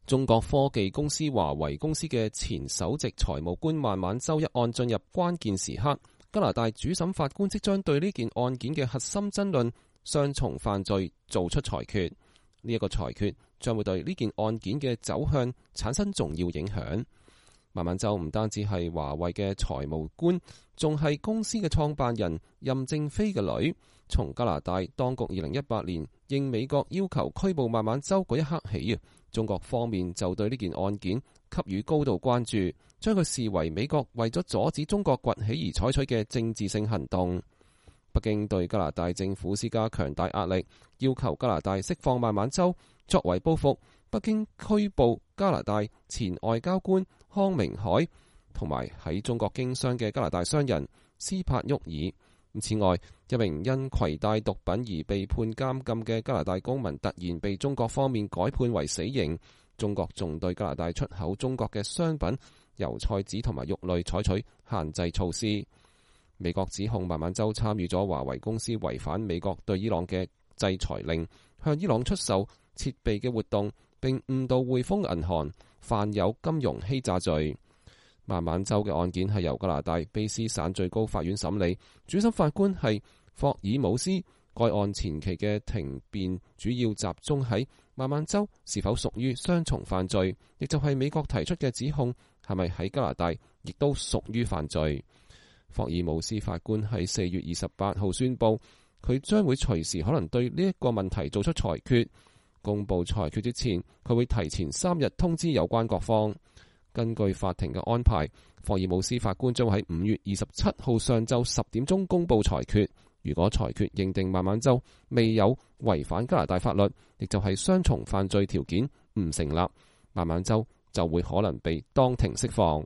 中國科技公司華為公司嘅前首席財務官孟晚舟一案進入關鍵時刻，加拿大主審法官即將對呢件案件嘅核心爭論雙重犯罪做出裁決。呢一個裁決將會對呢件案件嘅走向產生重要影響。孟晚舟唔單止係華為嘅財務官，仲係公司嘅創辦人任正非嘅女。從加拿大當局2018年應美國要求拘捕孟晚舟嗰一刻起，中國方面就對呢件案件給予高度關注，將佢視為美國為咗阻止中國崛起而採取嘅政治性行動。北京對加拿大政府施加強大壓力，要求加拿大釋放孟晚舟。作為報復，北京拘捕加拿大前外交官康明凱同埋喺中國經商嘅加拿大商人斯帕沃爾。此外，一名因攜帶毒品而被判監禁嘅加拿大公民突然被中國方面改判為死刑。中國仲對加拿大出口中國嘅商品、油菜籽同埋肉類採取限制措施。美國指控孟晚舟參與咗華為公司違反美國對伊朗嘅制裁令，向伊朗出售設備嘅活動，並誤導匯豐銀行，犯有金融欺詐罪。孟晚舟嘅案件係由加拿大卑斯省最高法院審理，主審法官係霍爾姆斯。該案前期嘅庭辯主要集中喺孟晚舟是否屬於雙重犯罪，亦就係美國提出嘅指控係咪喺加拿大亦都屬於犯罪。霍爾姆斯法官喺4月28號宣布，佢將會隨時可能對呢一個問題做出裁決。公佈裁決之前，佢會提前3日通知有關各方。根據法庭嘅安排，霍爾姆斯法官將會喺5月27號上晝10點鐘公佈裁決。如果裁決認定孟晚舟未有違反加拿大法律，亦就係雙重犯罪條件唔成立，孟晚舟就會可能被當庭釋放。